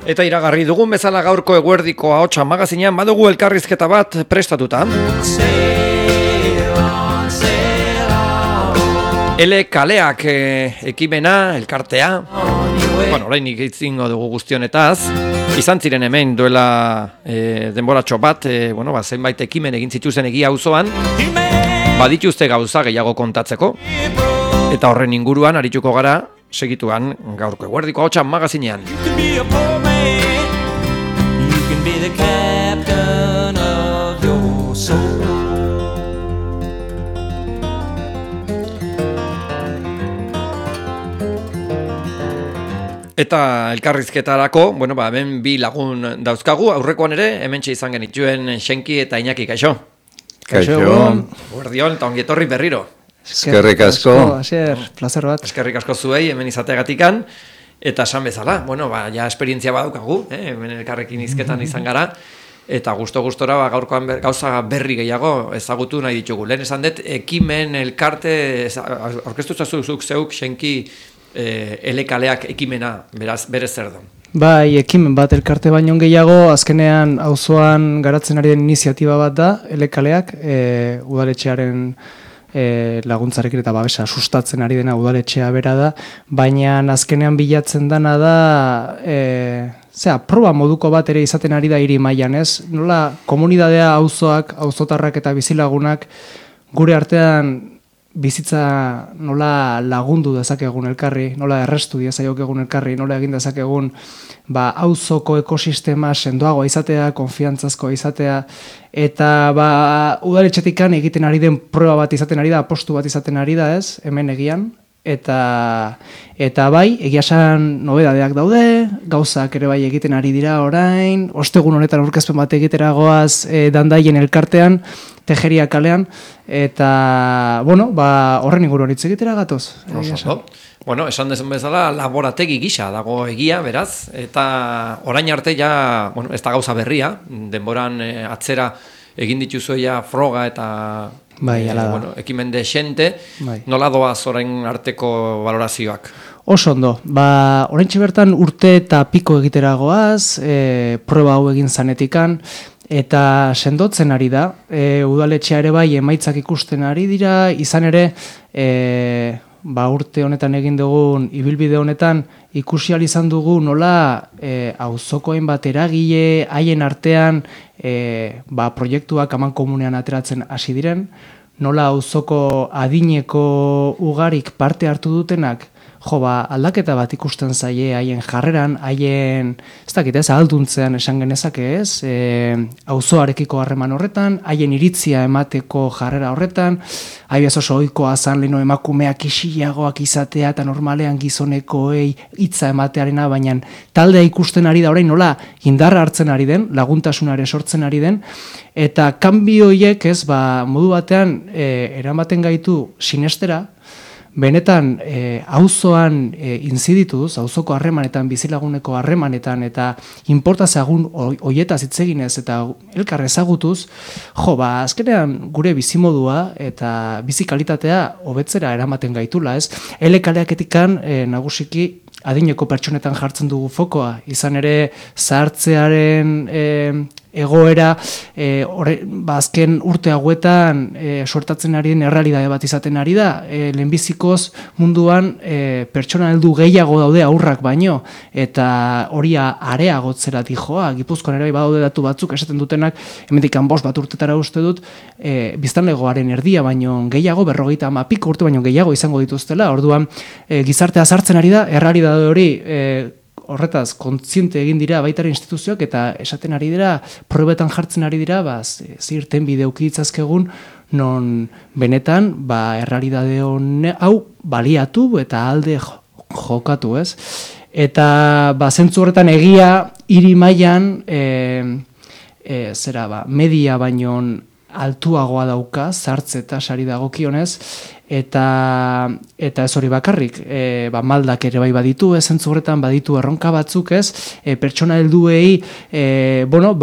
Eta iragarri dugun bezala gaurko eguerdiko ahotsa magazinean badugu elkarrizketa bat prestatuta. Ele kaleak ekimena, elkartea. Orainik itzingo dugu guztionetaz. Izan ziren hemen duela denboratxo bat, zenbait ekimen egin zituzen egia auzoan. Badituzte gauza gehiago kontatzeko. Eta horren inguruan arituko gara segituan gaurko eguerdiko ahotsa magazinean. Eta elkarrizketarako, hemen bi lagun dauzkagu, aurrekoan ere, hementxe izan genituen Xenki eta Iñaki, kaixo? Kaixo. Guardiol, eta ongietorri berriro. Eskerrik asko. Asier, placer bat. Eskerrik asko zuei, hemen izateagatikan, eta esan bezala, ja esperientzia badaukagu, hemen elkarrekin izketan izan gara, eta gustora gaurkoan gauza berri gehiago ezagutu nahi ditugu. Lehen esan dut, ekimen elkarte, aurkeztu zazuzuk zeuk, Xenki, elekaleak ekimena, berez zer da? Bai, ekimen bat elkarte baino gehiago, azkenean auzoan garatzen ari den iniziatiba bat da, elekaleak, udaletxearen laguntzarekin eta babesa sustatzen ari dena udaletxea bera da, baina azkenean bilatzen dana da, proba moduko bat ere izaten ari da hiri mailan, ez? Nola, komunidadea auzoak, auzotarrak eta bizilagunak gure artean bizitza nola lagundu dezakegun elkarri, nola errestu diezaiokegun elkarri, nola egin dezakegun auzoko ekosistema sendoagoa izatea, konfiantzazkoa izatea, eta udaletxetikan egiten ari den proba bat izaten ari da, apostu bat izaten ari da, ez, hemen egian, eta bai, egia esan nobedadeak daude, gauzak ere bai egiten ari dira orain, ostegun honetan aurkezpen bat egitera goaz Dandaien elkartean, Tejeria kalean, eta, horren inguruan hitz egitera gatoz. Esan dezen bezala, laborategi gisa dago egia, beraz, eta orain arte ja, ez da gauza berria, denboran atzera egin dituzue ja froga eta ekimen desente, nola doaz orain arteko valorazioak? Oso ondo, oraintxe bertan urte eta piko egitera goaz, proba hau egin zanetikan, eta sendotzen ari da, udaletxea ere bai emaitzak ikusten ari dira, izan ere, urte honetan egin dugun, ibilbide honetan, ikusi ahal izan dugu nola auzoko hainbat eragile, haien artean proiektuak aman komunean ateratzen hasi diren, nola auzoko adineko ugarik parte hartu dutenak, aldaketa bat ikusten zaie haien jarreran, haien, ez dakit ez, alduntzean esan genezake ez, auzoarekiko harreman horretan, haien iritzia emateko jarrera horretan, haibez oso ohikoa zan leheno emakumeak isilagoak izatea eta normalean gizonekoei hitza ematearena, baina taldea ikusten ari da orain nola indarra hartzen ari den, laguntasunare sortzen ari den, eta kanbio horiek ez, modu batean eramaten gaitu sinestera, benetan auzoan inzidituz, auzoko harremanetan, bizilaguneko harremanetan eta inportazagun hoietaz hitz eginez eta elkar ezagutuz, azkenean gure bizimodua eta bizi kalitatea hobetzera eramaten gaitula, ez? Elekaleaketikan nagusiki adineko pertsonetan jartzen dugu fokoa, izan ere zahartzearen egoera azken urte hauetan suertatzen ari den errealitate bat izaten ari da, lehenbizikoz munduan pertsona heldu gehiago daude aurrak baino, eta hori areagotzera dijoa, Gipuzkoan ere badaude datu batzuk esaten dutenak, hemendik 5 bat urtetara uste dut, biztanlegoaren erdia baino gehiago, 50 piko urte baino gehiago izango dituztela, orduan gizartea sartzen ari da, errealitate hori horretaz, kontziente egin dira baitare instituzioak eta esaten ari dira, probetan jartzen ari dira, zirten bideuki ditzazkegun, non benetan, errealitate hau baliatu eta alde jokatu, ez? Eta, zentzu horretan egia, hiri mailan, media baino altuagoa dauka, zartze eta sari dagokionez, eta ez hori bakarrik, maldak ere bai baditu, zentzu horretan baditu erronka batzuk, pertsona helduei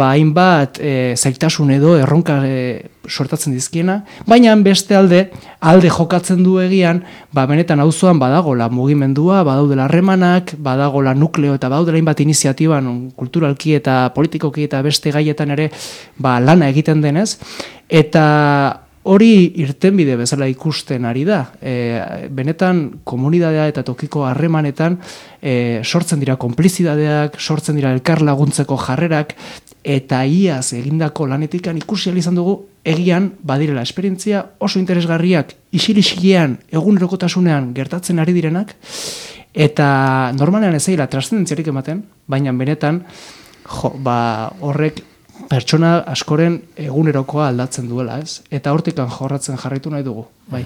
hainbat zailtasun edo erronka sortatzen dizkiena, baina beste alde jokatzen du egian, benetan auzoan badagola mugimendua, badaudela harremanak, badagola nukleo eta badaudela hainbat iniziatiba kulturalki eta politikoki eta beste gaietan ere lana egiten denez, eta hori irtenbide bezala ikusten ari da. Benetan komunitatea eta tokiko harremanetan sortzen dira konplizidadeak, sortzen dira elkar laguntzeko jarrerak, eta iaz egindako lanetikan ikusi ahal izan dugu egian badirela esperientzia oso interesgarriak isil-isilean egunerokotasunean gertatzen ari direnak, eta normalean ez zaila trascendentziarik ematen, baina benetan horrek pertsona askoren egunerokoa aldatzen duela, eta hortikan jorratzen jarraitu nahi dugu, bai.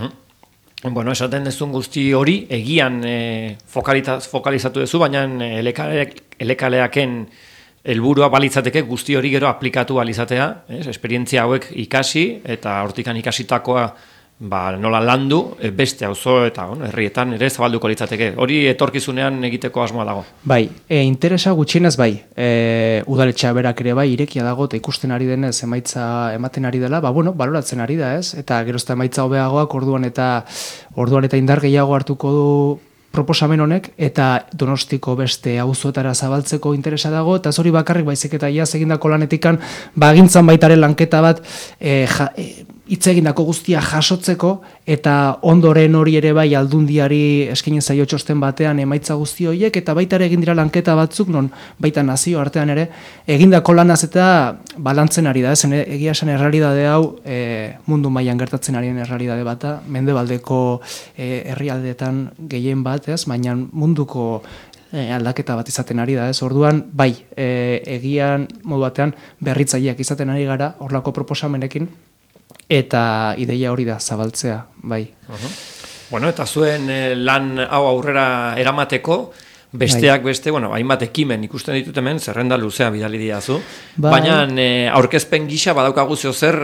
Bueno, esaten dezun guzti hori, egian fokalizatu duzu, baina elekaleaken helburua balitzateke guzti hori gero aplikatu balizatea, esperientzia hauek ikasi, eta hortikan ikasitakoa nola landu, beste auzo eta herrietan ere zabalduko litzateke. Hori etorkizunean egiteko asmoa dago. Bai, interesa gutxienez bai. Udaletxea berak ere bai, irekia dago, eta ikusten ari denez emaitza ematen ari dela, baloratzen ari da, ez? Eta gerozta emaitza hobeagoak orduan eta indar gehiago hartuko du proposamen honek, eta Donostiko beste auzoetara zabaltzeko interesa dago, eta hori bakarrik baizik eta iaz egindako lanetikan, agintzan baitaren lanketa bat hitz egindako guztia jasotzeko, eta ondoren hori ere bai aldundiari eskaini zaio txosten batean emaitza guzti horiek, eta baita ere egin dira lanketa batzuk, non baita nazio artean ere, egindako lanaz eta balantzen ari da, egia esan errealidade hau mundu mailan gertatzen arien errealidade bata, mendebaldeko herrialdeetan gehien bat, baina munduko aldaketa bat izaten ari da, orduan, bai, egian modu batean berritzaileak izaten ari gara, horlako proposamenekin, eta ideia hori da zabaltzea, bai. Bueno, eta zuen lan hau aurrera eramateko, besteak beste, hainbat ekimen ikusten ditut hemen, zerrenda luzea bidali diazu, baina aurkezpen gisa badaukagu zer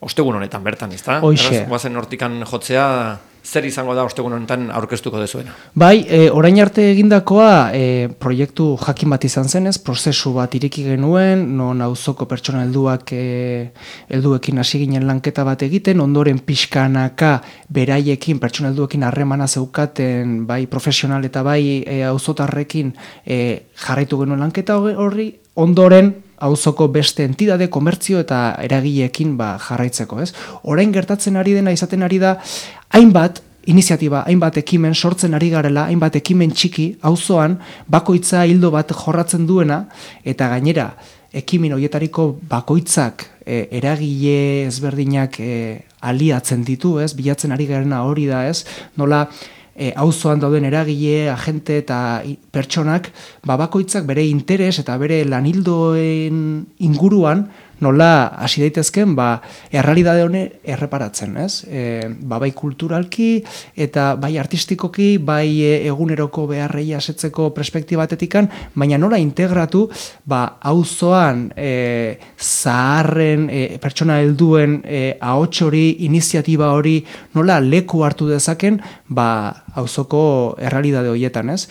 ostegun honetan bertan, ezta? Hoixe. Guazen hortikan jotzea, zer izango da ostegun honetan aurkeztuko dezuena? Bai, orain arte egindakoa proiektu jakin bat izan zenez, prozesu bat ireki genuen, non auzoko pertsona helduekin hasi ginen lanketa bat egiten, ondoren pixkanaka beraiekin, pertsona helduekin harremana zeukaten, bai profesional eta bai auzotarrekin jarraitu genuen lanketa horri, ondoren auzoko beste entidade, komertzio eta eragileekin jarraitzeko, ez? Orain gertatzen ari dena izaten ari da, hainbat iniziatiba, hainbat ekimen sortzen ari garela, hainbat ekimen txiki, auzoan bakoitza hildo bat jorratzen duena, eta gainera, ekimen horietariko bakoitzak eragile ezberdinak aliatzen ditu, ez? Bilatzen ari garena hori da, ez? Nola auzoan dauden eragile, agente eta pertsonak, bakoitzak bere interes eta bere lanildoen inguruan nola hasi daitezken errealidade hone erreparatzen, ez? Bai kulturalki eta bai artistikoki, bai eguneroko beharrei asetzeko perspektibatetikan, baina nola integratu auzoan zaharren pertsona helduen ahots hori, iniziatiba hori nola leku hartu dezaken auzoko errealidade horietan, ez?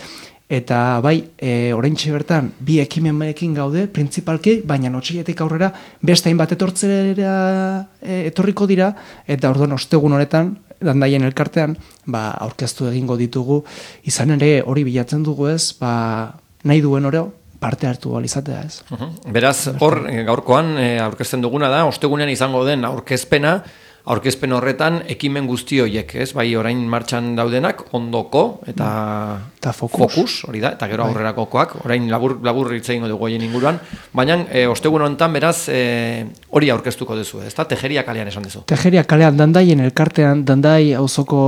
Eta bai, oraintxe bertan, bi ekimenekin gaude, printzipalki, baina otsailetik aurrera beste hainbat etorriko dira, eta orduan ostegun honetan, Dandaien elkartean, aurkeztu egingo ditugu, izan ere hori bilatzen dugu ez, nahi duen oro, parte hartu alizatea ez. Beraz, hor, gaurkoan aurkezten duguna da, ostegunean izango den aurkezpen horretan ekimen guzti horiek, ez? Bai, orain martxan daudenak, ondoko eta fokus, hori da, eta gero aurrerakokoak, orain labur hitz egingo dugu horien inguruan, baina ostegun honetan beraz hori aurkeztuko duzu, ezta? Tejeria kalean esan duzu. Tejeria kalean, Dandaien elkartean, Dandai auzoko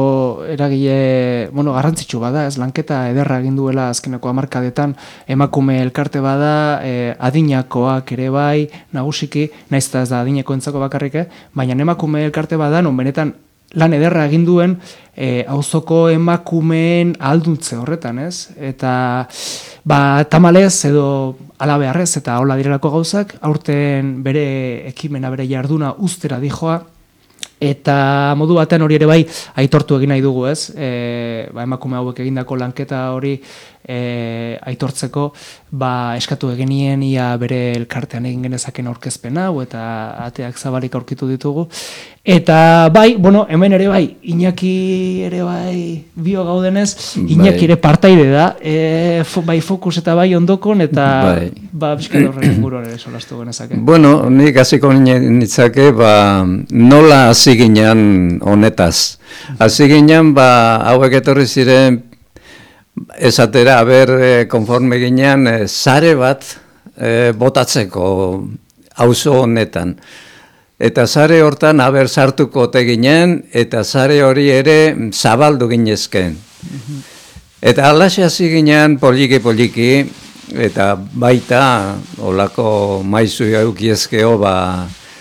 eragile, garrantzitsu bada, ez? Lanketa ederra egin duela azkeneko hamarkadetan, emakume elkarte bada, adinakoak ere bai, nagusiki, naiz eta ez da adinekoentzako bakarrik, baina emakume elkarte bada, non benetan lan ederra egin duen auzoko emakumeen alduntze horretan, ez? Eta tamalez edo alabearrez eta hola direlako gauzak, aurten bere ekimena, bere jarduna ustera dijoa, eta modu batean hori ere bai aitortu egin nahi dugu, ez? Emakume hauek egindako lanketa hori aitortzeko, eskatu egenien ia bere elkartean egin genezaken aurkezpen hau eta ateak zabalik aurkitu ditugu. Eta hemen ere bai, Iñaki ere bai bio gaudenez, Iñaki ere partaide da, bai Fokus eta bai Ondokon, eta bizkat horren inguruan ere solastu genezake. Bueno, nik hasiko nitzake, nola hasi ginen honetaz. Hasi ginen, hauek etorri ziren, esatera, konforme ginen, sare bat botatzeko auzo honetan. Eta sare hortan sartuko ote ginen, eta sare hori ere zabaldu ginezken. Eta alaxe hasi ginen poliki, eta baita, olako maizu eukiezkeo,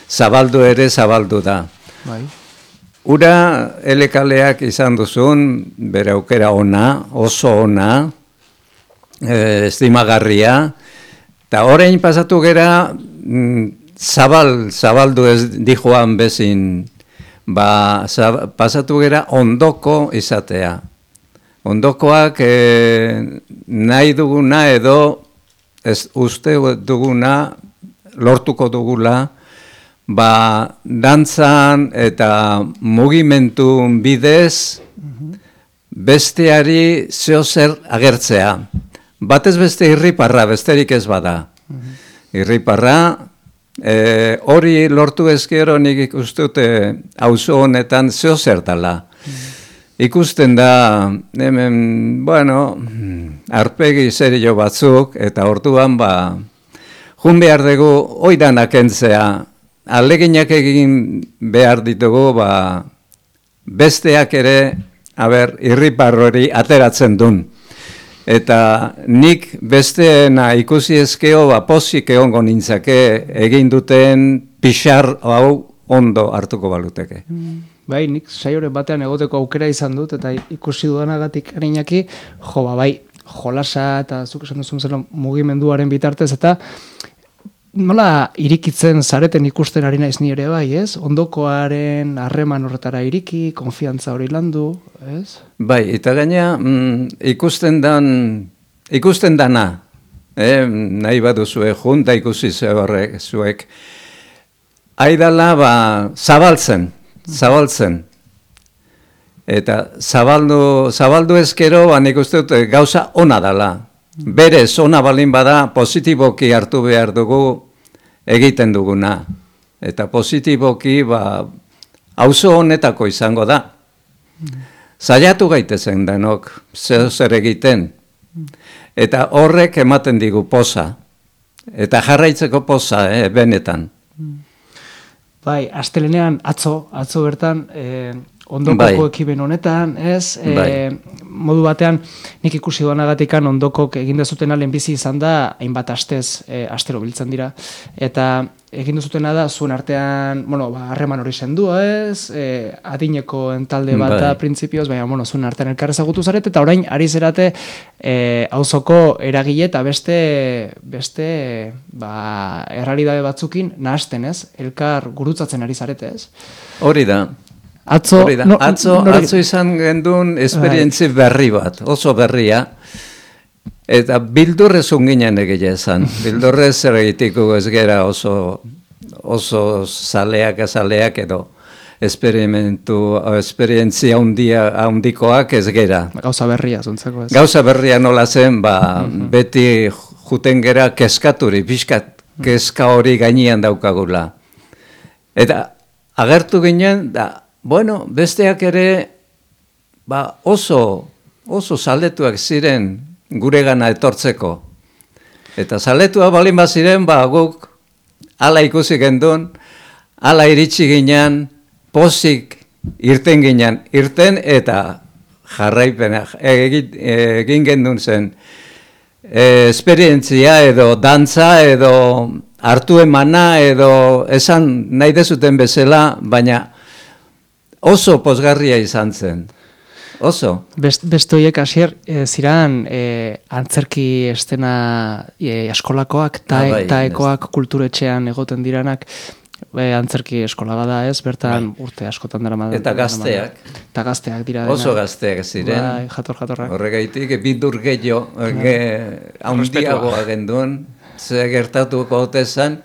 zabaldu da. Ura elekaleak izan duzun, bere aukera ona, oso ona, estimagarria, eta orain pasatu gera, zabaldu ez dijoan bezin, pasatu gera ondoko izatea. Ondokoak nahi duguna edo uste duguna lortuko dugula, dantzan eta mugimendu bidez besteari zeozer agertzea. Batez beste irriparra, besterik ez bada. Irriparra, hori lortu ezkero nik ikustute auzo honetan zeozer dela. Ikusten da, hemen, arpegi zerio batzuk, eta orduan, jun behar dugu, oidanak entzea, aleginak egin behar ditugu, besteak ere, irripar hori ateratzen duen. Eta nik besteena ikusi ezkeo, pozik egongo nintzake, egin duten pixar hau ondo hartuko baluteke. Bai, nik saioren batean egoteko aukera izan dut, eta ikusi dudanagatik Iñaki, jolasa eta zuk esan duzun zela mugimenduaren bitartez, eta nola irikitzen zareten ikusten ari naiz ni ere bai, ez? Ondokoaren harreman horretara iriki, konfiantza hori landu, ez? Bai, eta gaina ikusten dana, nahi baduzue junta ikusi zuek, aidala zabaltzen. Eta zabaldu ezkero, nik uste dut gauza ona dela. Berez, ona balin bada, positiboki hartu behar dugu egiten duguna. Eta positiboki, auzo honetako izango da. Zaiatu gaitezen denok, zer egiten. Eta horrek ematen digu poza. Eta jarraitzeko poza, benetan. Bai, astelenean atzo bertan, ondokoko ekiben honetan, ez? Modu batean, nik ikusi duanagatikan ondokok egin dezutena lehenbizi izan da, hainbat astero biltzen dira. Eta egin dezutena da, zuen artean, harreman hori sendua, ez? Adineko entalde bat da, printzipioz, baina, zuen artean elkarrezagutu zaret, eta orain, ari zerate, auzoko eragile eta beste errealitate batzukin nahasten, ez? Elkar gurutzatzen ari zarete, ez? Hori da. Atzo izan gendun esperientzi berri bat, oso berria, eta bildurrezun ginen egia esan. Bildurrez zer egitiko ez gera oso zaleak edo esperientzia handikoak ez gera. Gauza berria zuntzeko ez. Gauza berria nola zen, beti juten gera keskaturi, pixkat keska hori gainean daukagula. Eta agertu ginen, besteak ere oso zaletuak ziren guregana etortzeko. Eta zaletua balin baziren, guk ala ikusi gendun, ala iritsi ginen, pozik irten ginen, eta jarraipena egin gendun zen esperientzia edo dantza edo hartu emana edo esan nahi dezuten bezala, baina oso pozgarria izan zen. Oso. Beste horiek hasier ziran antzerki estena eskolakoak, taekoak kulturetxean egoten diranak, Antzerki eskola bada ez, bertan urte askotan dara madan. Eta gazteak. Eta gazteak dira. Oso gazteak ziren. Jatorrak. Horregaitik, bidur gehiago, haundiagoa genduen, ze gertatuko otezan.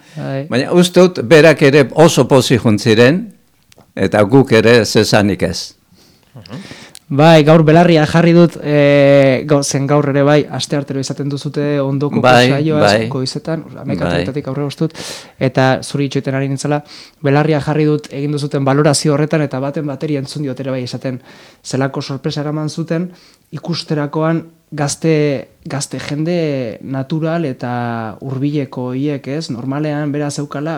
Baina uste dut, berak ere oso pozi juntziren, eta guk ere zezanik ez. Bai, gaur belarria jarri dut, zen gaur ere bai, aste artero izaten duzute ondoko saioa, goizetan, amekatik aurre goztut, eta zuri itxoiten ari nintzela, belarria jarri dut egin duzuten valorazio horretan, eta baten bateri entzun diot ere bai esaten zelako sorpresa eraman zuten, ikusterakoan gazte jende natural eta hurbileko hiek, ez? Normalean bera zeukala,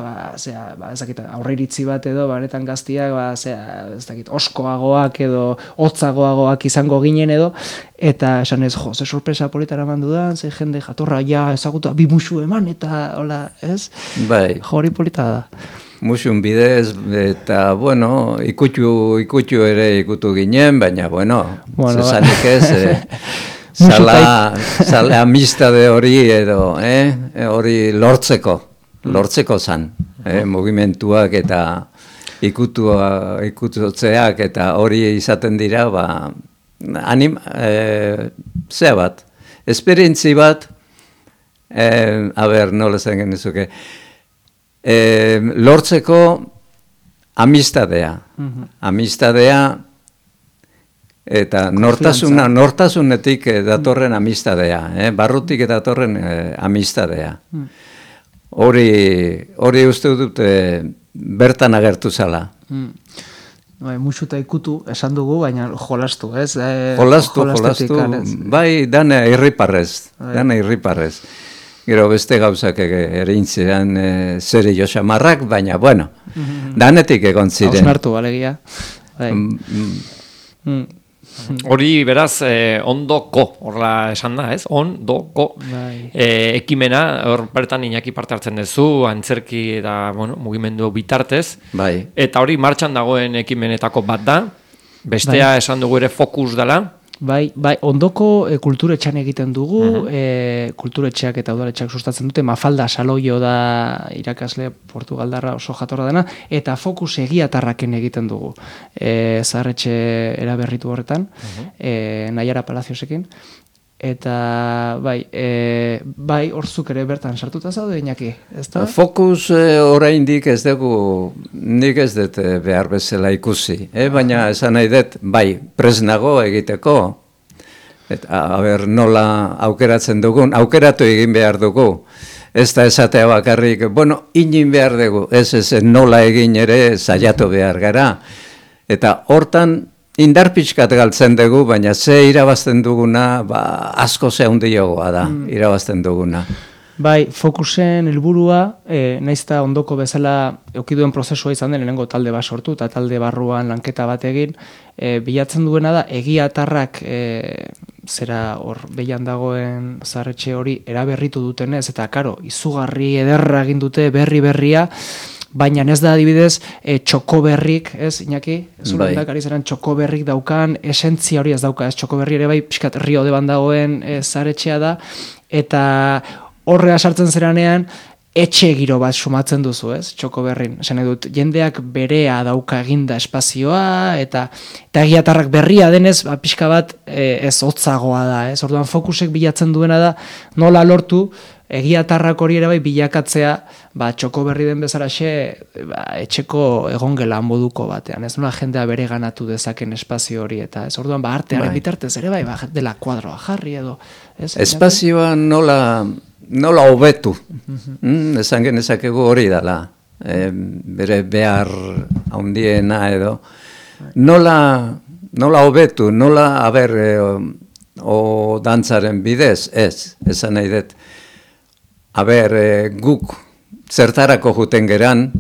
aurre iritzi bat edo, baretan gaztiak, ez dakit, oskoagoak edo hotzagoagoak izango ginen edo, eta esan ez, ze sorpresa politara mandu da, ze jende jatorra ezagutu, bi musu eman, eta hola, ez? Bai. Hori polita da. Musun bidez, eta, bueno, ikutxu ere ikutu ginen, baina, bueno zezanik ez, Zale amistade hori edo, hori lortzeko zan, mugimentuak eta ikutotzeak eta hori izaten dira, zea bat, esperientzi bat, nola zen genizuke, lortzeko amistadea, eta nortasunetik datorren amistadea, barrutik datorren amistadea. Hori uste dut bertan agertu zala. Musu eta ikutu esan dugu, baina jolastu, ez? Jolastu, bai, dana irriparrez. Gero beste gauzak erintzean zeri josamarrak, baina, bueno, danetik egon ziren. Hausnartu, alegia. Hori beraz ondoko, horla esan da, ez? Ondoko ekimena, hor bertan Iñaki parte hartzen duzu, antzerki eta mugimendu bitartez, eta hori martxan dagoen ekimenetako bat da, bestea esan dugu ere fokus dela. Bai, ondoko kulturetxean egiten dugu, kulturetxeak eta udaletxeak sustatzen dute, Mafalda Saloio da irakasle portugaldarra oso jatorra dena, eta fokus egiatarraken egiten dugu, zaharretxe eraberritu horretan, Naiara Palaziosekin, eta bai, horzuk ere bertan sartuta zaude, Iñaki, ez da? Fokus oraindik ez dugu, nik ez dut behar bezala ikusi, baina esan nahi dut, bai, presnago egiteko, eta nola aukeratzen dugun, aukeratu egin behar dugu, ez da esatea bakarrik, inin behar dugu, ez nola egin ere saiatu behar gara, eta hortan, indar pixkat galtzen dugu, baina ze irabazten duguna, asko ze handiagoa da, irabazten duguna. Bai, fokusen helburua, naizta ondoko bezala eukiduen prozesua izan den, lehenengo talde bat sortu, eta talde barruan lanketa bat egin, bilatzen duena da, egiatarrak zera hor behian dagoen zaharretxe hori eraberritu dutenez, eta karo, izugarri ederra egin dute berria, baina ez da adibidez txokoberrik, ez, Iñaki? Zuren dakari zeran txokoberrik daukan, esentzia hori ez dauka, ez txokoberri ere bai, pixkat Rio deban dagoen zaharretxea da, eta horrea sartzen zeranean, etxe giro bat sumatzen duzu, ez, txokoberrin. Esan edut, jendeak berea dauka eginda espazioa, eta egiatarrak berria denez, pixka bat ez hotzagoa da, ez? Orduan fokusek bilatzen duena da, nola lortu, egiatarrak hori ere bai bilakatzea, txokoberri den bezalaxe, etxeko egongela moduko batean, ez nola jendea bere ganatu dezaken espazio hori, eta ez orduan artearen bitartez ere bai, dela kuadroa jarri edo. Espazioa nola hobetu, esan genezakegu hori dela, bere behar handiena edo, nola hobetu, nola o dantzaren bidez, esan nahi dut, guk zertarako juten geran,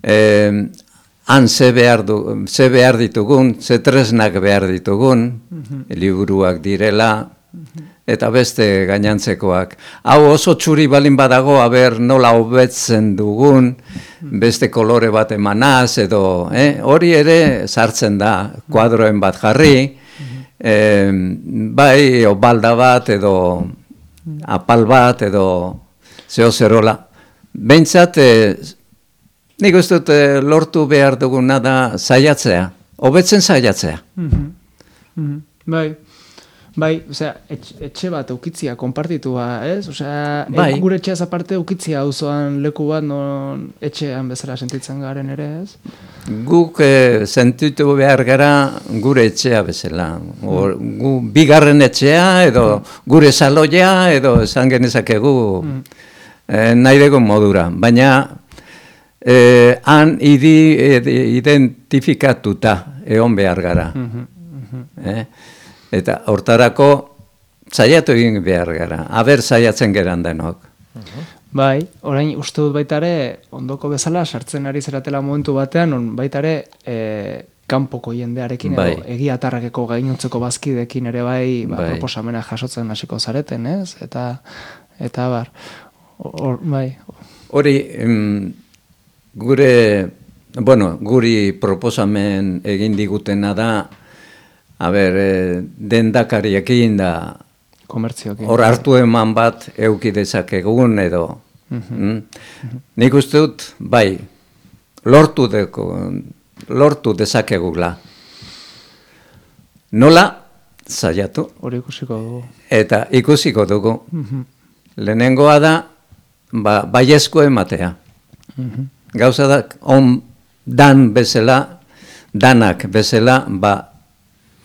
han ze behar ditugun, ze tresnak behar ditugun, liburuak direla, eta beste gainantzekoak. Hau oso txuri balin badago, nola hobetzen dugun, beste kolore bat emanaz, edo hori ere sartzen da, kuadroen bat jarri, bai, obalda bat, edo apal bat, edo zeo zerola. Behintzat, nik uste dut lortu behar duguna da saiatzea, hobetzen saiatzea. Bai, osea, etxe bat eukitzia, konpartitua, ez? Osea, Bai. gure etxeaz aparte eukitzia auzoan leku bat non etxean bezala sentitzen garen ere, ez? Guk sentitu behar gara gure etxea bezala. Gu bigarren etxea, edo gure saloia, edo esan genezakegu nahi dugun modura. Baina han identifikatuta egon behar gara. Eta hortarako saiatu egin behar gara. Aber saiatzen geran denok. Bai, orain uste dut baita ere, ondoko bezala, sartzen ari zeratela momentu batean, on baita ere, kanpoko jendearekin edo egiatarrakeko gainontzeko bazkidekin ere bai, proposamena jasotzen hasiko zareten, ez? Eta bar, bai. Hori, guri proposamen egin digutena da, dendakariekin da komertzioekin. Hor hartu eman bat euki dezakegun edo. Nik uste dut, bai, lortu dezakegula. Nola, saiatu. Hori ikusiko dugu. Eta ikusiko dugu. Lehenengoa da, baiezko ematea. Gauza da, danak bezala,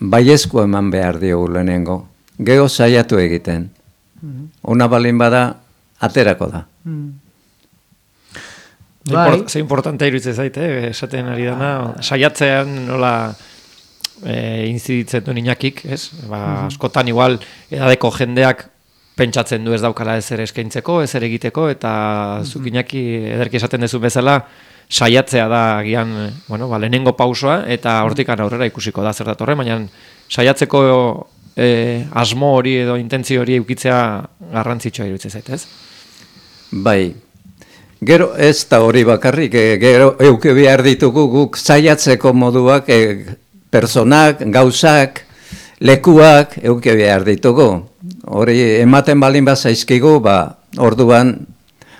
baiezko eman behar diogu lehenengo. Gero saiatu egiten. Ona balin bada, aterako da. Ze importantea iruditzen zaite, esaten ari dana, saiatzean nola inziditzen du Iñakik, ez? Askotan igual edadeko jendeak pentsatzen du ez daukala ezer eskaintzeko, ezer egiteko, eta zuk Iñaki ederki esaten duzu bezala, saiatzea da agian, lehenengo pausoa, eta hortikan aurrera ikusiko da zer datorren, baina saiatzeko asmo hori edo intentzio hori eukitzea garrantzitsua iruditzen zait, ez? Bai. Gero ez da hori bakarrik, gero euki behar ditugu guk saiatzeko moduak, personak, gauzak, lekuak euki behar ditugu. Hori ematen balin bat zaizkigu, orduan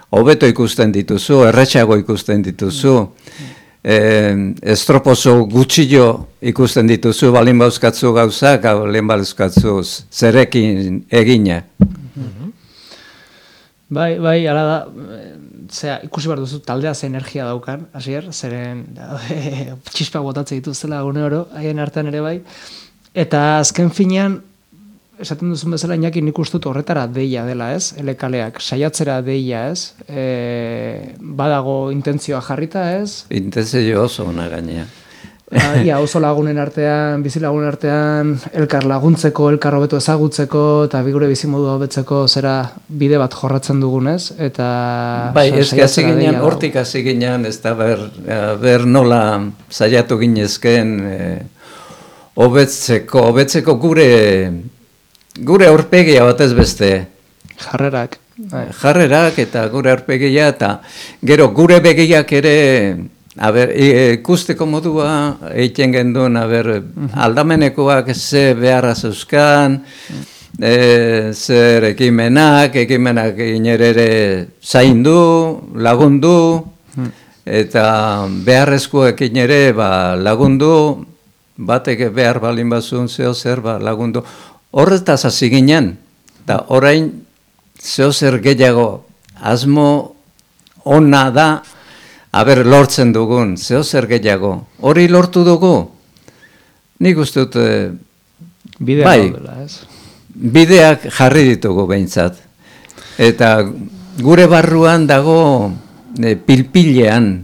hobeto ikusten dituzu, erretxago ikusten dituzu, estroposo gutxillo ikusten dituzu, balin bauzkatzu gauzak, balin bauzkatzu zerekin egina. Bai, ala da, ikusi behar duzu taldea ze energia daukan, hasier, zeren txispa botatzen dituzela gune oro, haien artean ere bai, eta azken finean, esaten duzun bezala, Iñaki nik uste dut horretara deia dela, ez? Elekaleak, saiatzera deia, ez? Badago intentzioa jarrita, ez? Intentzio oso ona gainea. Ia, oso lagunen artean, bizi lagunen artean, elkar laguntzeko, elkar hobeto ezagutzeko, eta bigure bizimodu hobetzeko zera bide bat jorratzen dugunez, eta... Bai, eski hasi ginean, hortik hasi ginean, ez da ber nola saiatu ginezken, hobetzeko gure aurpegia batez beste. Jarrerak. Jarrerak eta gure aurpegia, eta gero gure begiak ere... ikusteko modua egiten genduen, aldamenekoak ze beharra zeuzkan, zer ekimenak inerere zaindu, lagundu, eta beharrezkoekin ere lagundu, batek behar balin bazun zeo zer lagundu. Horretaz hasi ginen, eta orain zeo zer gehiago asmo ona da, lortzen dugun, zeo zer gehiago. Hori lortu dugu. Nik uste dut, bideak jarri ditugu behintzat. Eta gure barruan dago pilpilean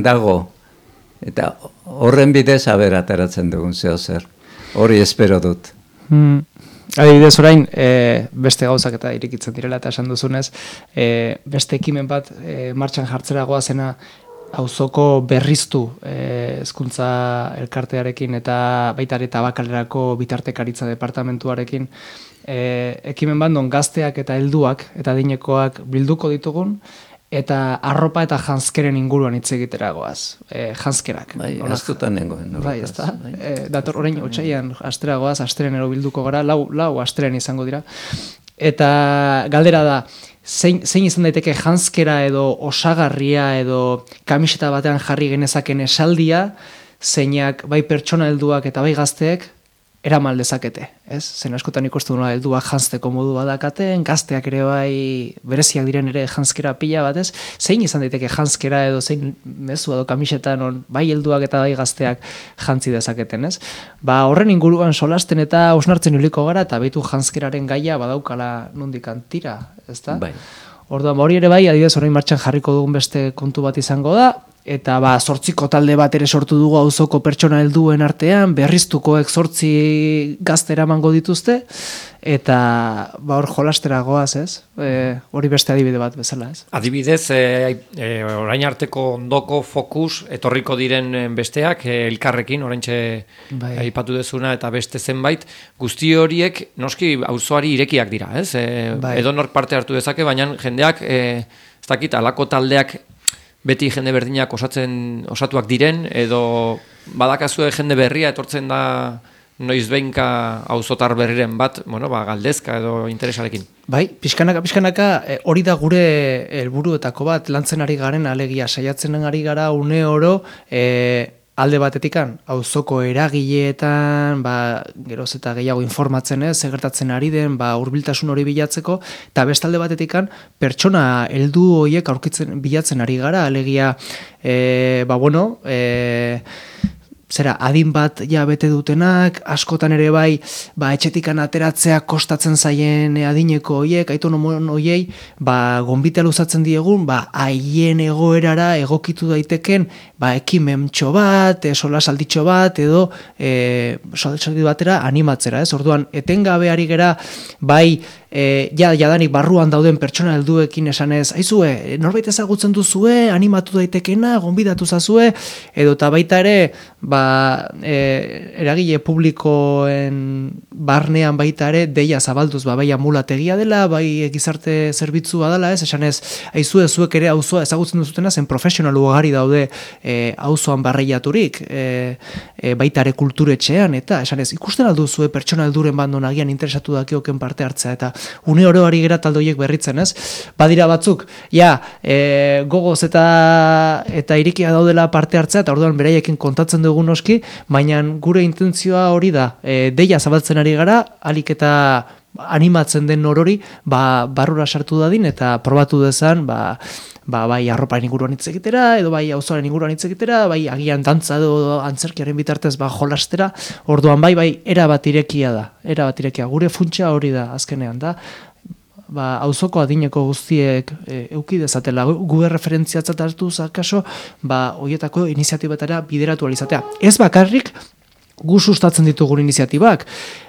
dago. Eta horren bidez ateratzen dugun zeo zer. Hori espero dut. Adibidez orain, beste gauzak eta irikitzen direla eta esan duzunez, beste ekimen bat martxan jartzera goazena auzoko berriztu hezkuntza elkartearekin eta baita ere tabakalerako bitartekaritza departamentuarekin ekimen bat non gazteak eta helduak eta adinekoak bilduko ditugun eta arropa eta janzkeren inguruan hitz egitera goaz. Janzkerak. Bai, astutan nengoen. Bai, ez da. Dator orain otsailean astera goaz, astrenero bilduko gara, lau astren izango dira. Eta galdera da, zein izan daiteke janzkera edo osagarria edo kamiseta batean jarri genezaken esaldia, zeinak bai pertsona helduak eta bai gazteek eramal dezakete, ez? Zen askotan ikusten duna helduak janzteko modu badakaten, gazteak ere bai bereziak diren ere janzkera pila bat, ez? Zein izan daiteke janzkera edo zein mezu edo kamiseta non bai helduak eta bai gazteak jantzi dezaketen, ez? Horren inguruan solasten eta hausnartzen iliko gara eta beitu janzkeraren gaia badaukala nondik antira, ezta? Bai. Orduan, hori ere bai, adibidez orain martxan jarriko dugun beste kontu bat izango da, eta 8 talde bat ere sortu dugu auzoko pertsona helduen artean, berriztukoek 8 gazte eramango dituzte, eta hor jolastera goaz, ez? Hori beste adibide bat bezala, ez? Adibidez, orain arteko ondoko fokus etorriko diren besteak, elkarrekin, oraintxe aipatu dezuna eta beste zenbait, guzti horiek noski auzoari irekiak dira, ez? Edonor parte hartu dezake, baina jendeak, ez dakit, alako taldeak beti jende berdinak osatuak diren, edo badakazue jende berria etortzen da noizbeinka auzotar berriren bat, galdezka edo interesarekin. Bai, pixkanaka hori da gure helburuetako bat, lantzen ari garen alegia, saiatzen ari gara une oro alde batetikan, auzoko eragileetan, geroz eta gehiago informatzen ez, gertatzen ari den, hurbiltasun hori bilatzeko, eta bestalde batetikan, pertsona heldu horiek aurkitzen bilatzen ari gara, alegia, adin bat ja bete dutenak, askotan ere bai, etxetikan ateratzea kostatzen zaien adineko hoiek, autonomon hoiei, gonbitea luzatzen diegun, haien egoerara egokitu daiteken, ekimentxo bat, solasalditxo bat, edo solasalditxo batera animatzera, ez? Orduan, etengabe ari gera, jadanik barruan dauden pertsona helduekin esanez, aizue, norbait ezagutzen duzue, animatu daitekena, gonbidatu zazue, edo eta baita ere, eragile publikoen barnean baita ere, deia zabalduz, bai amulategia dela, bai gizarte zerbitzua dela, ez? Esanez, aizue, zuek ere auzoa ezagutzen duzutena, zen profesional ugari daude auzoan barreiaturik, baita ere kulturetxean, eta esanez, ikusten alduzue pertsona helduren bandon agian interesatu dakioken parte hartzea, eta une oro ari gera taldoiek berritzen, ez? Badira batzuk, gogoz eta irikia daudela parte hartzea, eta orduan beraiekin kontatzen dugu noski, baina gure intentzioa hori da, deia zabaltzen ari gara, alik eta animatzen den orori, barrura sartu dadin, eta probatu dezan, bai arroparen inguruan hitz egitera, edo bai auzoaren inguruan hitz egitera, bai agian dantza edo antzerkiaren bitartez jolastera, orduan bai erabat irekia da, gure funtsa hori da azkenean da, auzoko adineko guztiek euki dezatela, gu referentziatzat hartu zakaso, horietako iniziatibetara bideratu alizatea. Ez bakarrik, gu sustatzen ditugun iniziatibak,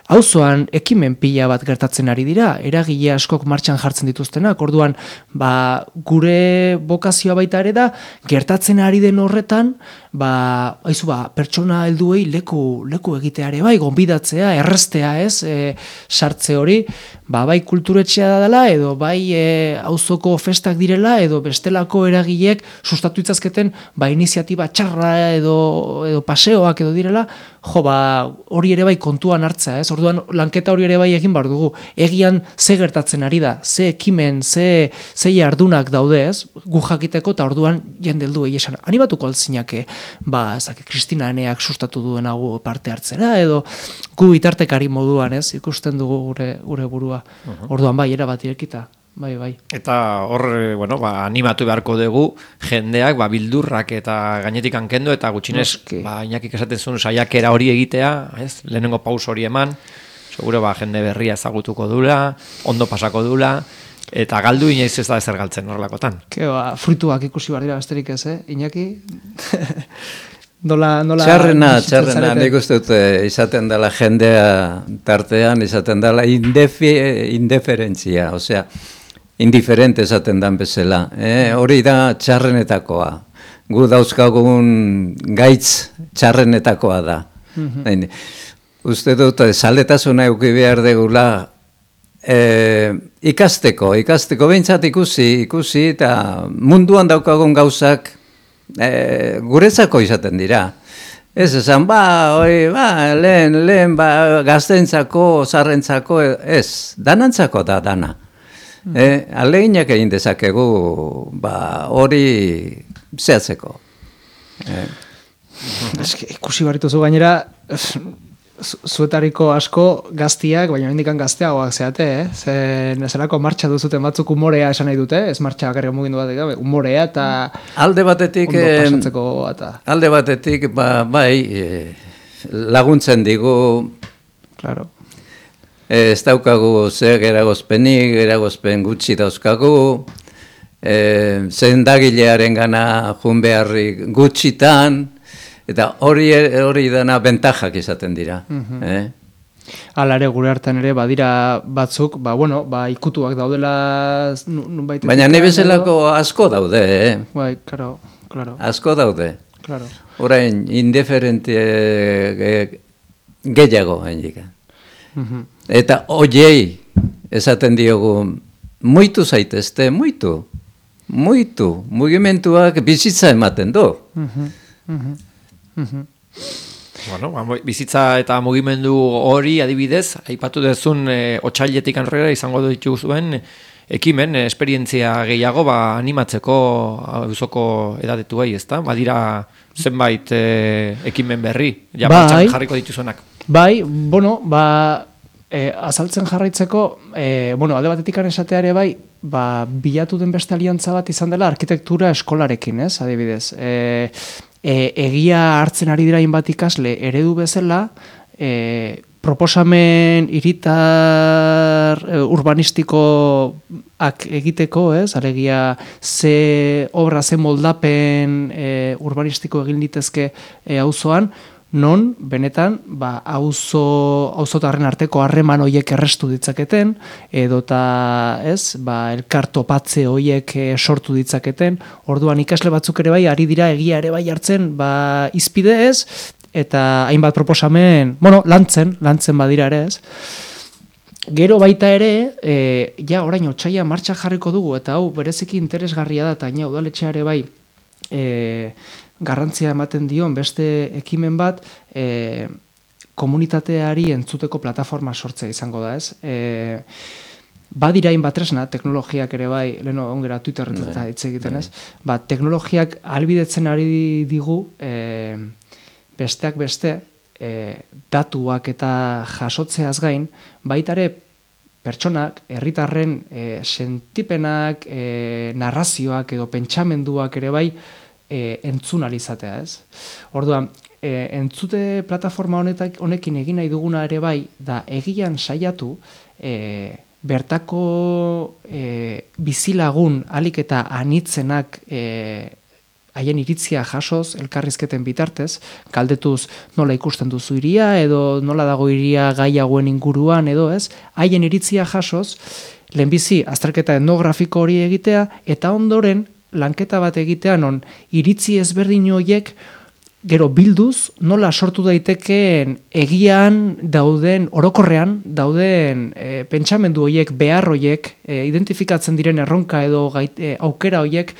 auzoan ekimen pila bat gertatzen ari dira, eragile askok martxan jartzen dituztenak, orduan gure bokazioa baita ere da, gertatzen ari den horretan, pertsona helduei leku egiteare bai, gonbidatzea, errestea ez, sartze hori, bai kulturetxea dela, edo bai auzoko festak direla, edo bestelako eragileek sustatu itzazketen, iniziatiba txarra edo paseoak edo direla, hori ere bai kontuan hartza, ez? Orduan lanketa hori ere bai egin behar dugu. Egian ze gertatzen ari da, ze ekimen, ze jardunak daude, ez? Gu jakiteko eta orduan jende helduei esan animatuko altzinake, Kristina Eneak sustatu duen hau parte hartzera, edo gu bitartekari moduan, ez? Ikusten dugu gure burua. Orduan erabat irekita. Bai. Eta hor, animatu beharko dugu jendeak, bildurrak eta gainetik hankendo, eta gutxinez, Iñakik esaten zuen saiakera hori egitea, ez? Lehenengo paus hori eman, seguro jende berria ezagutuko dula, ondo pasako dula, eta galdu inoiz ez da ezer galtzen horrelakotan. Fruituak ikusi behar dira besterik ez, Iñaki? Txarrena, nik uste dut izaten dela jendea tartean, izaten dela indiferentzia, osea, indiferente esaten dan bezala. Hori da txarrenetakoa. Gu dauzkagun gaitz txarrenetakoa da. Uste dut, zaletasuna euki behar degula ikasteko behintzat ikusi, eta munduan daukagun gauzak guretzako izaten dira. Ez esan, lehen, gaztentzako, zarrentzako, ez, danantzako da dana. Aleginak egin dezakegu hori zehatzeko. Ikusi barituzu gainera, zuetariko asko gaztiak, baina hendikan gazteagoak zeate, zelako martxa duzuten batzuk umorea esan nahi dute, ez martxa bakarrik mugindu bat, umorea eta alde batetik, ondo pasatzeko eta... Alde batetik, laguntzen digu, claro. Ez daukagu zer eragozpen gutxi dauzkagu, zendagilearen gana jun beharrik gutxitan, eta hori dena bentajak izaten dira. Hala ere, gure hartan ere, badira batzuk, ikutuak daudela... Baina nahi bezalako asko daude, Bai, claro. Asko daude. Claro. Orain, indiferente gehiago, hendik. Eta oiei, esaten diogu, muitu zaitezte, muitu, mugimenduak bizitza ematen du. Bizitza eta mugimendu hori adibidez, aipatu dezun otsailetik aurrera izango dituzuen ekimen, esperientzia gehiago animatzeko auzoko edadetuei, ezta? Badira zenbait ekimen berri, martxan jarriko dituzuenak. Bai, azaltzen jarraitzeko, alde batetik esateare bai, bilatu den beste aliantza bat izan dela arkitektura eskolarekin, ez, adibidez. Egia hartzen ari dira bat ikasle eredu bezala, proposamen hiritar urbanistikoak egiteko, ez, alegia ze obra, ze moldapen urbanistiko egin litezke auzoan, non, benetan, auzotarren arteko harreman hoiek errestu ditzaketen, edota, elkar topatze hoiek sortu ditzaketen, orduan ikasle batzuk ere bai, ari dira egia ere bai hartzen, izpide ez, eta hainbat proposamen, lantzen badira ere ez. Gero baita ere, orain otsaia martxa jarriko dugu, eta hau bereziki interesgarria da, eta udaletxea ere bai, garrantzia ematen dion beste ekimen bat komunitateari entzuteko plataforma sortzea izango da, ez? Badira hainbat tresna, teknologiak ere bai, leheno ongera Twitterren eta hitz egiten, ez? Teknologiak ahalbidetzen ari digu besteak beste datuak eta jasotzeaz gain, baita ere pertsonak, herritarren sentipenak, narrazioak edo pentsamenduak ere bai, entzunalizatea, ez? Orduan, entzute plataforma honekin egin nahi duguna ere bai, da egian saiatu bertako bizilagun alik eta anitzenak haien iritzia jasoz, elkarrizketen bitartez, galdetuz nola ikusten duzu iria, edo nola dago iria gai hauen inguruan, edo ez, haien iritzia jasoz, lehenbizi azterketa etnografiko hori egitea, eta ondoren, lanketa bat egitea non iritzi ezberdin horiek gero bilduz nola sortu daitekeen egian dauden, orokorrean dauden pentsamendu horiek, behar horiek, identifikatzen diren erronka edo aukera horiek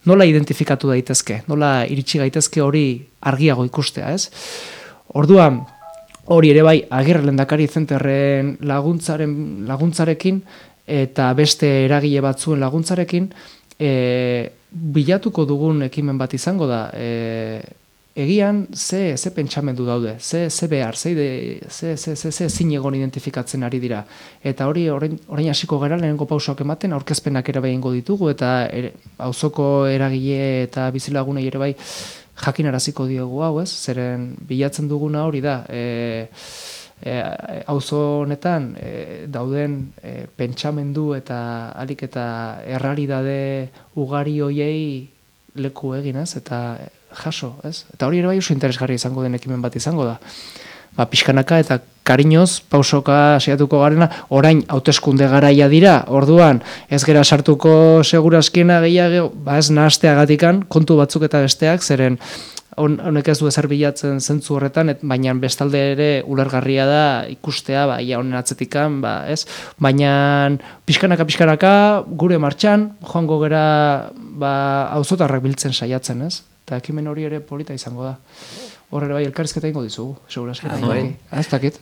nola identifikatu daitezke, nola iritsi gaitezke hori argiago ikustea, ez? Orduan, hori ere bai, Agirre Lehendakari Zenterren laguntzarekin eta beste eragile batzuen laguntzarekin, bilatuko dugun ekimen bat izango da, egian ze pentsamendu daude, ze behar, ze zinegon identifikatzen ari dira. Eta hori orain hasiko gara lehenengo pausoak ematen, aurkezpenak ere bai ingo ditugu, eta auzoko eragile eta bizilagunei ere bai jakinaraziko diogu hau, ez? Zeren bilatzen duguna hori da, auzo honetan dauden pentsamendu eta alik eta errealitate ugari hoiei leku egin, ez? Eta jaso, ez? Eta hori ere bai oso interesgarri izango den ekimen bat izango da. Pixkanaka eta kariñoz pausoka saiatuko garena, orain hauteskunde garaia dira, orduan ez gera sartuko segurazkiena gehiago, ez nahasteagatikan kontu batzuk eta besteak, zeren honek ez du ezer bilatzen zentzu horretan, baina bestalde ere ulergarria da ikustea, ia honen atzetikan, ez? Baina pixkanaka gure martxan, joango gera auzotarrak biltzen saiatzen, ez? Eta ekimen hori ere polita izango da. Horre bai elkarrizketa ingo dizugu, segurazketa ingo. Ez dakit.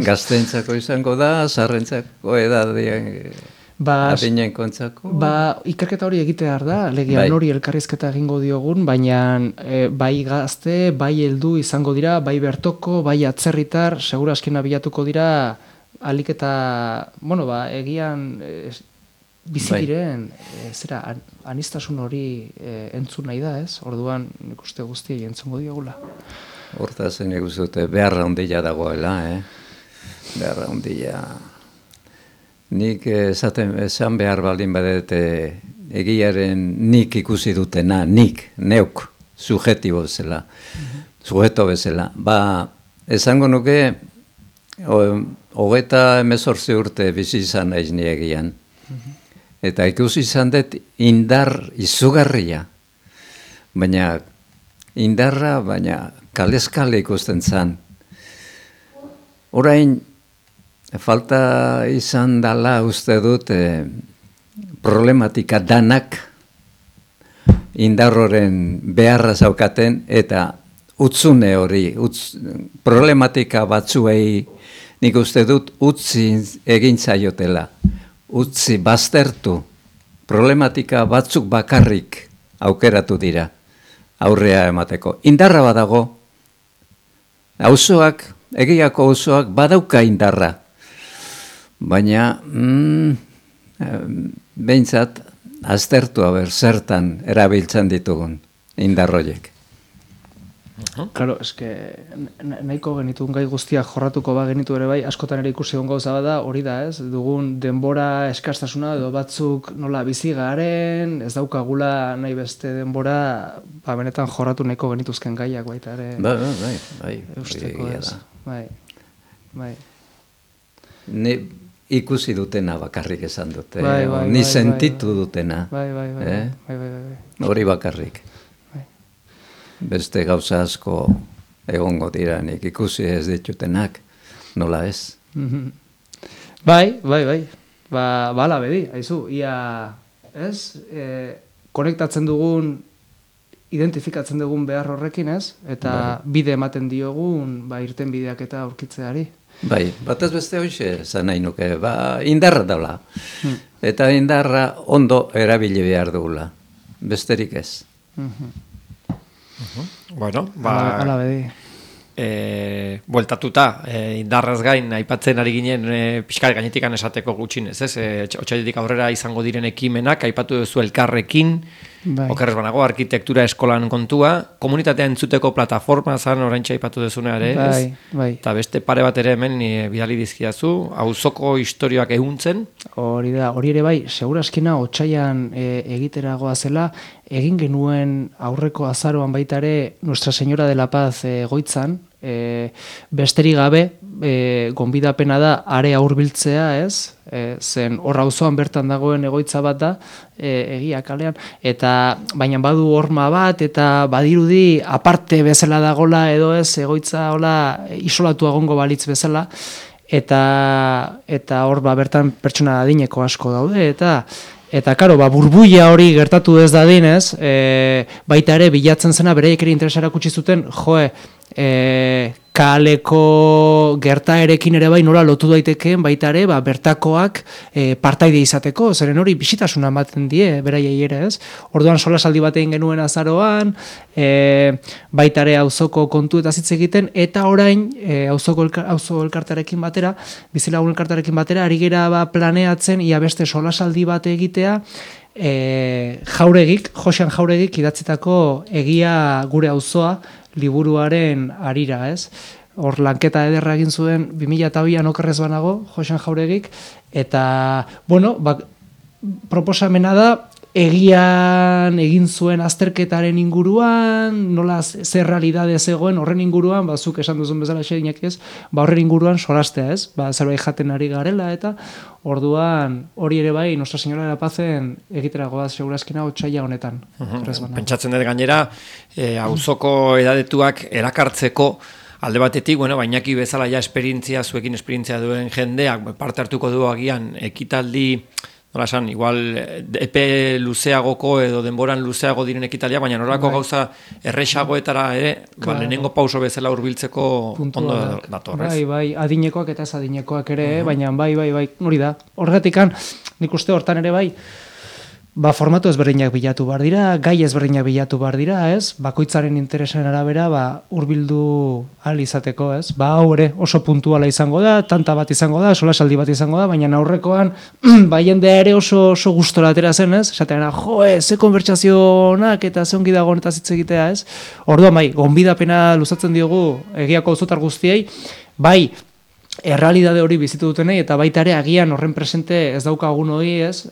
Gazteentzako izango da, zarrentzako edadien... adinen kontzako? Ikerketa hori egitear da, legean hori elkarrizketa egingo diogun, baina bai gazte, bai heldu izango dira, bai bertoko, bai atzerritar, segura askena bilatuko dira, alik eta, egian bizi diren, anistasun hori entzun nahi da, ez? Orduan, nik uste guztiei entzungo diogula. Hortaz, nik uste dute, beharra ondila dagoela, beharra ondila. Nik esan behar baldin badet egiaren nik ikusi dutena, neuk, subjetibo bezala, sujeto bezala. Esango nuke, 38 urte bizi izan naiz ni egian. Eta ikusi izan dut indar izugarria. Baina indarra, kaleskale ikusten zan. Orain, falta izan dala uste dut problematika danak indarroren beharra zaukaten eta utzune hori, problematika batzuei nik uste dut utzi egin zaiotela. Utzi baztertu, problematika batzuk bakarrik aukeratu dira aurrea emateko. Indarra badago, auzoak, egiako auzoak badauka indarra, baina behintzat aztertu zertan erabiltzen ditugun indarroiek. Claro, nahiko genituen gai guztiak jorratuko genitu ere bai, askotan ere ikusi egon gauza bada, hori da, ez? Dugun denbora eskastasuna edo batzuk nola bizi garen, ez daukagula nahi beste denbora, benetan jorratu nahiko genituzken gaiak baita ere. Bai. Eusteko, ez? Bai. Ni ikusi dutena bakarrik esan dute, ni sentitu dutena. Bai. Hori bakarrik. Beste gauza asko egongo dira, nik ikusi ez ditutenak, nola ez? Bai. Bala bedi, haizu, ia, ez? Konektatzen dugun, identifikatzen dugun behar horrekin, ez? Eta bide ematen diogun, irten bideak eta aurkitzeari. Bai, batez beste hoxe, zan nahi nuke, indarra daula. Eta indarra ondo erabili behar dugula, besterik ez. Bueno, bueltatuta, indarraz gain, aipatzen ari ginen pixkal gainetikan esateko gutxinez, ez? Otsailetik aurrera izango diren ekimenak, aipatu duzu elkarrekin, okerrez banago, arkitektura eskolan kontua, komunitatea entzuteko plataforma zan oraintxe aipatu duzuna ere, ez? Eta beste pare bat ere hemen bidali dizkidazu, auzoko historioak ehuntzen. Hori da, hori ere bai, seguraskina otsaian egiteragoa zela, egin genuen aurreko azaroan baita ere Nuestra Señora de la Paz goitzan, besterik gabe, gonbidapena da are aurbiltzea, ez? Zen hor auzoan bertan dagoen egoitza bat da, egia kalean, eta baina badu horma bat, eta badirudi aparte bezala dagola edo ez, egoitza hola isolatu egongo balitz bezala, eta hor bertan pertsona adineko asko daude, eta karo, burbuia hori gertatu ez dadinez, baita ere bilatzen zena bereiek ere interesa erakutsi zuten, kaleko gertaerekin ere bai nola lotu daitekeen baita ere bertakoak partaide izateko, zeren hori bisitasuna ematen die beraiei ere, ez? Orduan solasaldi bat egin genuen azaroan, baita ere auzoko kontu eta hitz egiten, eta orain auzo elkartearekin batera, bizilagun elkartearekin batera, ari gera planeatzen ia beste solasaldi bat egitea, Josean Jauregik idatzitako Egia gure auzoa liburuaren harira, ez? Hor lanketa ederra egin zuen 2002an okerrez banago, Josean Jauregik, eta, proposamena da, egian egin zuen azterketaren inguruan, nola zer realidade zegoen horren inguruan, zuk esan duzun bezala xerinak ez, horren inguruan solastea ez, zerbait jaten ari garela, eta orduan hori ere bai, Nuestra Señora de la Pazen egiteragoaz segurazkina otsaila honetan. Pentsatzen dut gainera, auzoko edadetuak erakartzeko alde batetik, bainaki bezala ja zuekin esperientzia duen jendeak parte hartuko du agian ekitaldi nola esan, igual epe luzeagoko edo denboran luzeago diren ekitalia, baina norako gauza erresagoetara ere, lehenengo pauso bezala hurbiltzeko ondo datorrez. Bai, adinekoak eta ez adinekoak ere, baina bai, hori da. Horregatikan, nik uste hortan ere bai, formatu ezberdinak bilatu behar dira, gai ezberdinak bilatu behar dira, ez? Bakoitzaren interesen arabera, hurbildu ahal izateko, ez? Hau ere oso puntuala izango da, tanta bat izango da, solasaldi bat izango da, baina aurrekoan, jendea ere oso gustora atera zen, ez? Esatean, ze konbertsazionak eta ze ongi dago honetaz hitz egitea, ez? Orduan, gonbidapena luzatzen diogu egiako auzotar guztiei, bai, errealidade hori bizitu dutenei, eta baita ere agian horren presente ez daukagun hori, ez?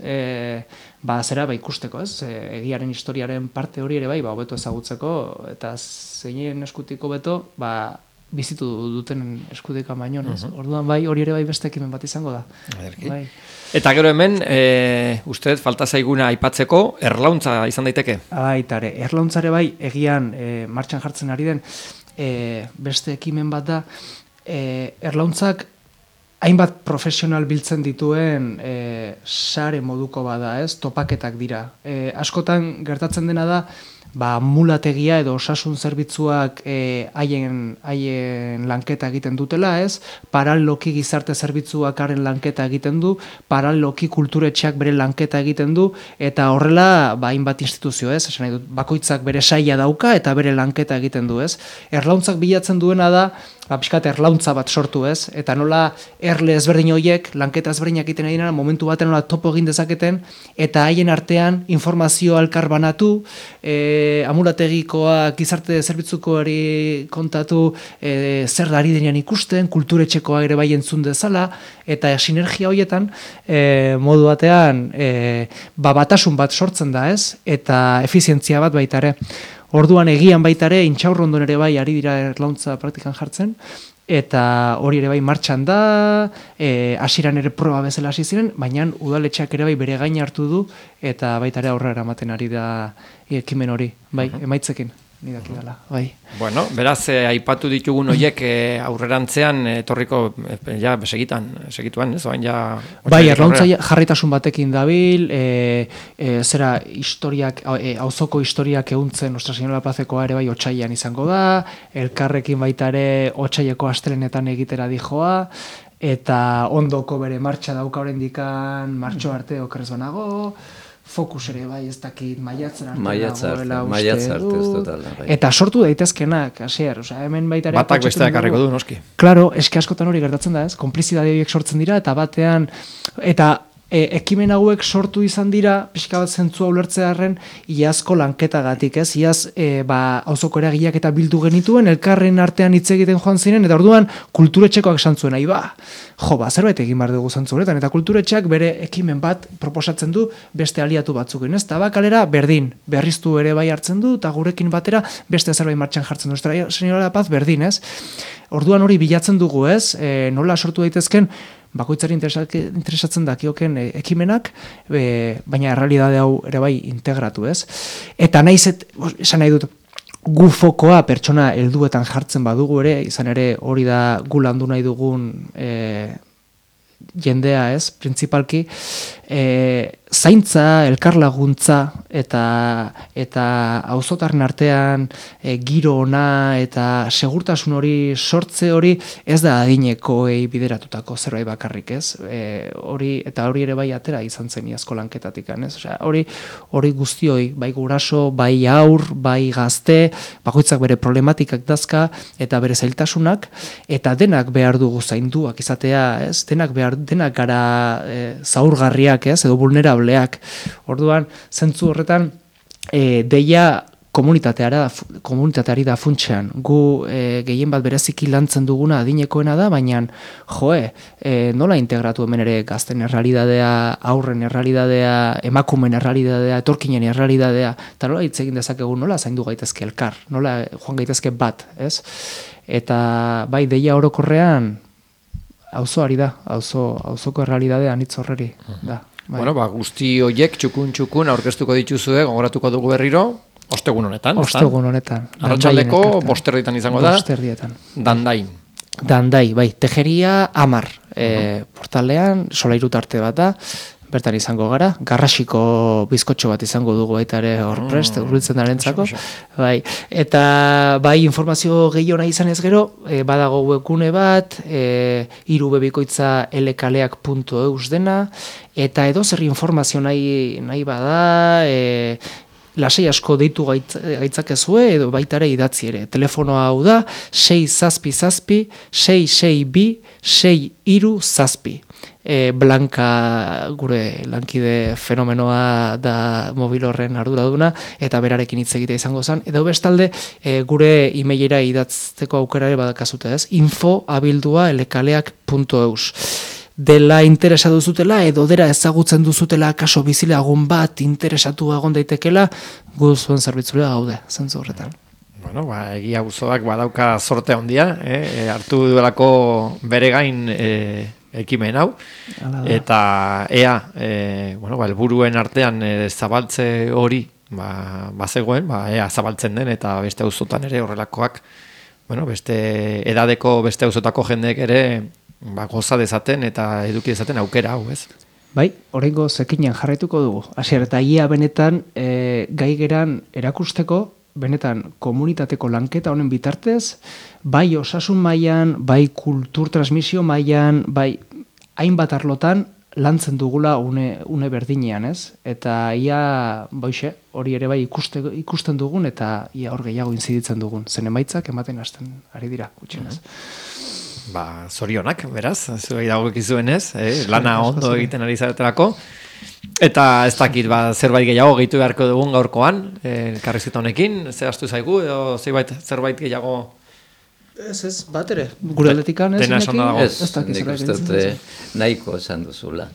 Ikusteko, ez? Egiaren historiaren parte hori ere bai, hobeto ezagutzeko, eta zeinen eskutiko beto, bizitu duten eskutika baino, ez? Orduan bai, hori ere bai beste ekimen bat izango da. Bai. Eta gero hemen, uste falta zaiguna aipatzeko, erlauntza izan daiteke? Baitare, erlauntzare bai, egian martxan jartzen ari den beste ekimen bat da, erlauntzak hainbat profesional biltzen dituen sare moduko bada, ez? Topaketak dira. Askotan gertatzen dena da, mulategia edo osasun zerbitzuak haien lanketa egiten dutela, ez? Paraleloki gizarte zerbitzuak haren lanketa egiten du, paraleloki kulturetxeak bere lanketa egiten du, eta horrela hainbat instituzio, ez? Esan nahi dut, bakoitzak bere saila dauka eta bere lanketa egiten du, ez? Erlauntzak bilatzen duena da, pixkat erlauntza bat sortu, ez? Eta nola erle ezberdin horiek, lanketa ezberdinak egiten ari dira, momentu baten nola topo egin dezaketen, eta haien artean informazio elkar banatu, amulategikoa gizarte zerbitzukoari kontatu zer ari denean ikusten, kulturetxekoa ere bai entzun dezala, eta sinergia horietan modu batean batasun bat sortzen da, ez? Eta efizientzia bat baita ere. Orduan egian baita ere, Intxaurrondon ere bai ari dira erlauntza praktikan jartzen, eta hori ere bai martxan da, hasieran ere proba bezala hasi ziren, baina udaletxeak ere bai bere gain hartu du, eta baita ere aurrera ematen ari da ekimen hori, bai, emaitzekin. Nidaki dela, bai. Bueno, beraz, aipatu ditugun horiek aurrerantzean etorriko, segituan, ez? Bai, erlauntza jarraitasun batekin dabil, zera historiak, auzoko historiak ehuntzen Nostra Señora Plazekoa ere bai otsailean izango da, elkarrekin baita ere otsaieko astelenetan egitera dijoa, eta ondoko bere martxa dauka oraindikan martxo arte okerrez banago, fokus ere bai, ez dakit, maiatzen arte uste dut. Eta sortu daitezkenak, hasier, hemen baita ere... Batak besteak harriko du, noski. Klaro, eske askotan hori gertatzen da, ez? Konplizidade horiek sortzen dira, eta batean... Eta ekimen hauek sortu izan dira, pixka bat zentzua ulertzearren, iazko lanketagatik, ez? Iaz, auzoko eragileak eta bildu genituen, elkarren artean hitz egiten joan ziren, eta orduan kulturetxekoak esan zuen, zerbait egin behar dugu zantzu honetan, eta kulturetxeak bere ekimen bat proposatzen du beste aliatu batzukin, ez? Tabakalera berdin, berriztu ere bai hartzen du, eta gurekin batera beste zerbait martxan jartzen du. Señora Paz berdin, ez? Orduan hori bilatzen dugu, ez? Nola sortu daitezken, bakoitzari interesatzen dakioken ekimenak, baina errealidade hau ere bai integratu, ez? Eta esan nahi dut, gu fokoa pertsona helduetan jartzen badugu ere, izan ere hori da gu landu nahi dugun jendea, ez? Printzipalki, zaintza, elkarlaguntza eta auzotarren artean giro ona eta segurtasun hori sortze hori ez da adinekoei bideratutako zerbait bakarrik, ez? Hori ere bai atera izan zen iazko lanketatik, ez? Hori guztioi, bai guraso, bai aur, bai gazte, bakoitzak bere problematikak dazka eta bere zailtasunak, eta denak behar dugu zainduak izatea, ez? Denak gara zaurgarriak, ez? Edo vulnerableak. Orduan, zentzu horretan, deia komunitateari da funtsean. Gu gehien bat bereziki lantzen duguna adinekoena da, baina nola integratu hemen ere gazten errealidadea, aurren errealidadea, emakumen errealidadea, etorkinen errealidadea, eta nola hitz egin dezakegu, nola zaindu gaitezke elkar, nola joan gaitezke bat, ez? Eta bai, deia orokorrean, auzoari da, auzoko errealidadea anitz horreri da. Bai. Bueno, guzti horiek txukun aurkeztuko dituzue, gogoratuko dugu berriro, ostegun honetan. Ostegun honetan. Arratsaldeko 5:00 izango da. 5:00. Dandain, bai, Tejeria 10, portalean, Solairu tarte bat da, bertan izango gara, garrasiko bizkotxo bat izango dugu baita ere hor prest, urbiltzen darentzako. Bai. Eta bai informazio gehiago nahi izan ez gero, badago webgune bat, irubebikoitza elekaleak.eus dena, eta edo zer informazio nahi bada, lasei asko deitu gaitzakezue edo baita ere idatzi ere. Telefonoa hau da 6-6-6-6-2-6-3-6. Blanka gure lankide fenomenoa da mobil horren arduraduna eta berarekin hitz egitea izango zen. Edo bestalde gure emailera idatzteko aukera ere badakazute ez. info@elekaleak.eus. Dela interesa duzutela edo dera ezagutzen duzutela kaso bizilagun bat interesatu egon daitekela, gu zuen zerbitzura gaude, zentzu horretan. Bueno, egia auzoak badauka sorte handia, hartu duelako bere gain ekimen hau, eta helburuen artean zabaltze hori bazegoen, ea zabaltzen den, eta beste auzotan ere horrelakoak, beste edadeko beste auzotako jendeek ere goza dezaten eta eduki dezaten aukera hau, ez? Bai, oraingo zekinen jarraituko dugu. Hasier eta ia benetan gai geran erakusteko, benetan komunitateko lanketa honen bitartez, bai osasun mailan, bai kultur transmisio mailan, bai hainbat arlotan lantzen dugula une berdinean, ez? Eta ia hori ere bai ikusten dugun eta ia hor gehiago inziditzen dugun. Zen emaitzak ematen hasten ari dira, gutxienez. Zorionak, beraz, zuei dagokizuenez, lana ondo egiten ari zaretelako. Eta ez dakit, zerbait gehiago gehitu beharko dugun gaurkoan, elkarrizketa honekin, zehaztu zaigu, edo zerbait gehiago... Ez, bat ere, gure aldetikan ez? Dena esan dago. Ez, nik uste nahiko esan duzula.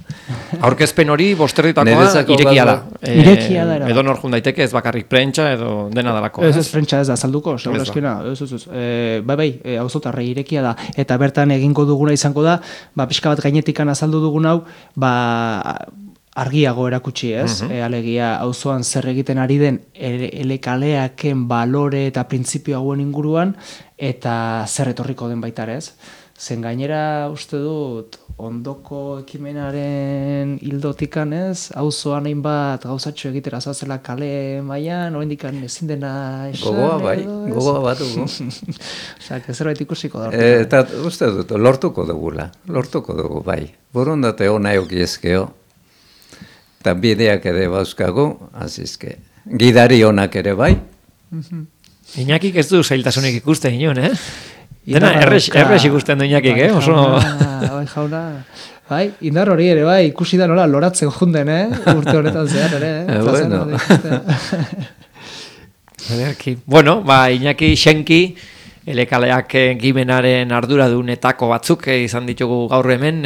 Aurkezpen hori bosterritakoa irekia da. Irekia da. Edo nor jun daiteke, ez bakarrik prentsa edo dena dalako. Ez prentsa ez da salduko, segurazkina. Ez. Bai, auzotarrei irekia da. Eta bertan egingo duguna izango da, pixka bat gainetikan azaldu dugun hau, argiago erakutsi, ez? Alegia auzoan zer egiten ari den elekaleaken balore eta printzipio hauen inguruan eta zer etorriko den baita ere, ez? Zen gainera uste dut ondoko ekimenaren hildotikan, ez? Auzoan hainbat gauzatxo egitera zoazela kale mailan, oraindik ezin dena esan. Gogoa bat dugu. Osak, zerbait ikusiko da. Eta uste dut, lortuko dugu, bai. Borondate hona eukiezkeo. Eta bideak ere bauzkagu, azizke. Gidari honak ere bai. Iñakik ez du zailtasunik ikusten inon, Dena errex ikusten du Iñakik, Bai, jauna. Bai, indar hori ere, bai, ikusi da nola loratzen junden, urte honetan zehar ere, Bueno. Bueno, Iñaki Xenki, elekaleak gimenaren arduradunetako batzuk izan ditugu gaur hemen,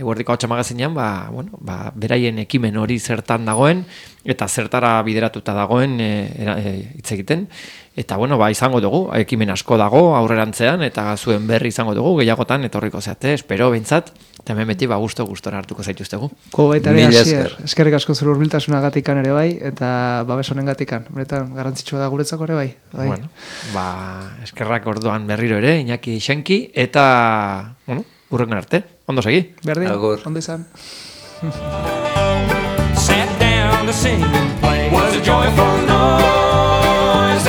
Eguerdiko Ahotsa magazinean, beraien ekimen hori zertan dagoen, eta zertara bideratuta dagoen hitz egiten. Eta izango dugu, ekimen asko dago aurrerantzean, eta zuen berri izango dugu, gehiagotan etorriko zeate, espero behintzat, eta hemen beti gustora hartuko zaituztegu. Baita ere, Asier, eskerrik asko zure hurbiltasunagatikan ere bai, eta babes honengatikan, beretan garrantzitsua da guretzako ere bai. Bueno, eskerrak orduan berriro ere, Iñaki Xenki, eta, hurrengan arte, ondo segi. Berdin, ondo izan. Sat down to sing and play